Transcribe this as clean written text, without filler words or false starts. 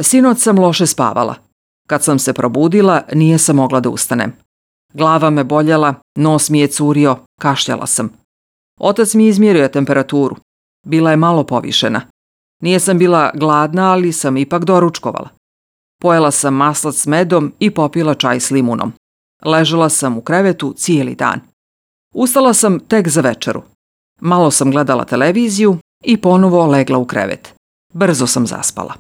Sinoć sam loše spavala. Kad sam se probudila, nije sam mogla da ustanem. Glava me boljela, nos mi je curio, kašljala sam. Otac mi izmjerio temperaturu. Bila je malo povišena. Nije sam bila gladna, ali sam ipak doručkovala. Pojela sam maslac s medom i popila čaj s limunom. Ležala sam u krevetu cijeli dan. Ustala sam tek za večeru. Malo sam gledala televiziju i ponovo legla u krevet. Brzo sam zaspala.